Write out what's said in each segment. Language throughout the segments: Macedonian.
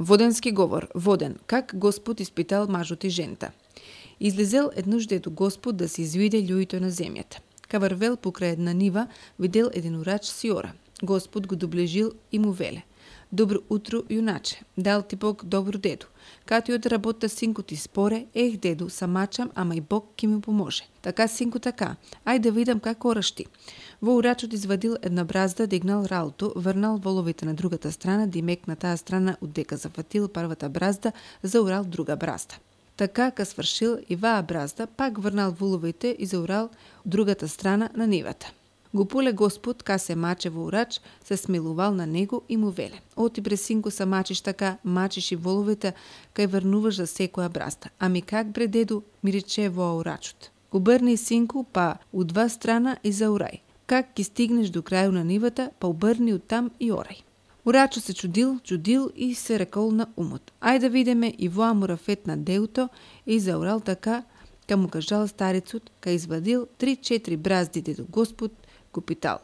Воденски говор, воден, как Господ испитал мажот и жената. Излезел еднош дето Господ да се извиде луѓето на земјата. Ка врвел покрај една нива, видел еден урач си ора. Господ го доближил и му веле: Добро утро, јуначе, дал ти Бог добро деду. Кај од работа синко ти споре, деду, самачам, ама и Бог ки ми поможе. Така, синко, така, ај да видам как ораш ти. Во урачот извадил една бразда, дигнал ралто, врнал воловите на другата страна, димек на таа страна, оддека зафатил првата бразда, заурал друга бразда. Така, ка свршил и ваа бразда, пак врнал воловите и заурал другата страна на нивата. Го поле Господ, ка се маче во урач, се смилувал на него и му веле: Оти бре синко са мачиш така, мачиш и воловите, кај врнуваш за секоја бразда. Ами как бре деду, ми рече во урачот: Обрни синко, па од два страна и заурај. Как ки стигнеш до крају на нивата, па обрни од там и орај. Урачот се чудил и се рекол на умот: Ај да видиме и воа мурафет на деуто, и заурал така, ка му кажал старецот, ка извадил 3-4 бразди дето Господ го питал.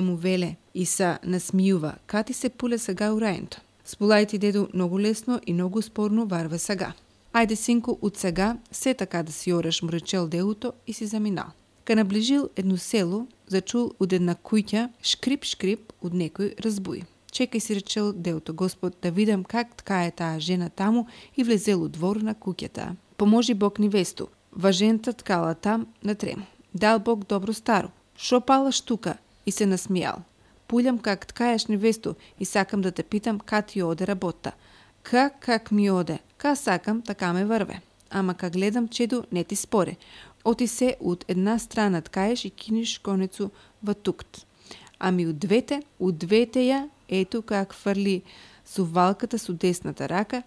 Му веле и са насмијува: Кати се пуле сега урајento? Сполајте деду, многу лесно и многу спорно варве сега. Ајде синко, од сега се така да си ореш, му речел деуто и си заминал. Ка наближил едно село, зачул од една куќа шкрип од некој разбуј. Чекај, си речел деуто Господ, да видам как ткае таа жена таму, и влезел од двор на куќата. Поможи Бог невесту. Важента ткала там на трему. Дал Бог добро старо. Шо палаш тука? И се насмијал. Пулјам как ткаеш невесту и сакам да те питам ка ти оде работа. Как ми оде? Ка сакам, така ме врве. Ама ка гледам чеду, не ти споре. Оти се од една страна ткаеш и кинеш конецу во тукт. Ами од двете ја, ето как фрли сувалката со десната рака,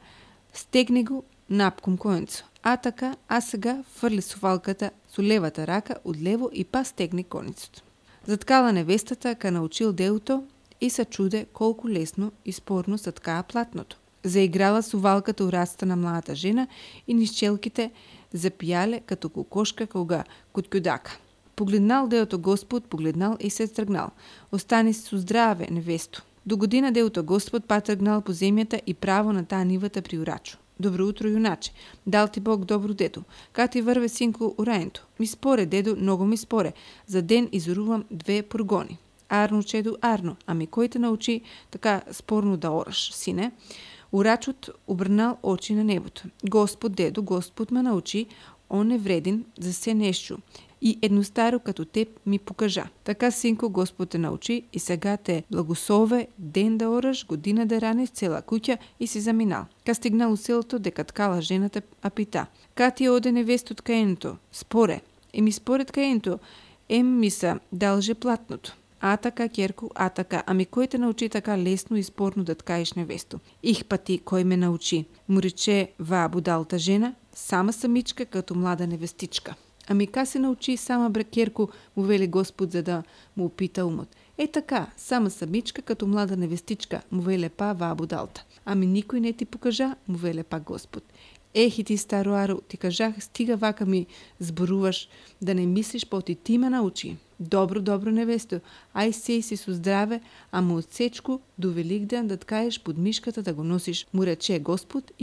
стегни го напком конецу. А сега фрли сувалката со левата рака од лево и па стегни конецот. Заткала невестата, ка научил деуто и се чуде колку лесно и спорно се ткаа платното. Заиграла сувалката у рацата на младата жена и низ челките запијале като кокошка кога куткудака. Погледнал деото Господ, погледнал и се тргнал. Остани со здраве, невесто. До година деото Господ па тргнал по земјата и право на таа нивата при урачу. Добро утро, јуначе, дал ти Бог добро деду. Ка ти врве синко урајento? Ми споре, деду, многу ми споре. За ден изорувам 2 пургони. Арно, чеду, арно. Ами кој те научи така спорно да ораш, сине? Урачот обрнал очи на небото. Господ, деду, Господ ме научи, он е вреден за се нешто. И едно старо като теб ми покажа. Така, синко, Господ те научи и сега те благослове ден да ораш, година да ранеш цела куќа и си заминал. Ка стигнал у селото, дека ткала жената, а пита: Ка ти оде невесто ткаенето? Споре. Ми според ткаенето, ми са далже платното. Така, керко, така. Ами кој те научи така лесно и спорно да ткаеш невесто? Па ти, кој ме научи? Му рече ваа будалта жена, сама самичка като млада невестичка. Ами ка се научи сама брекерко, му вели Господ, за да му опита умот. Така, сама самичка като млада невестичка, му веле па ваа будалта. Ами никој не ти покажа, му веле па Господ. И ти староаро, ти кажах, стига вака ми зборуваш, да не мислиш, па ти ме научи. Добро, невесто, ај сеј си со здраве, ама од сечку до Великден да ткаеш под мишката да го носиш, му рече Господ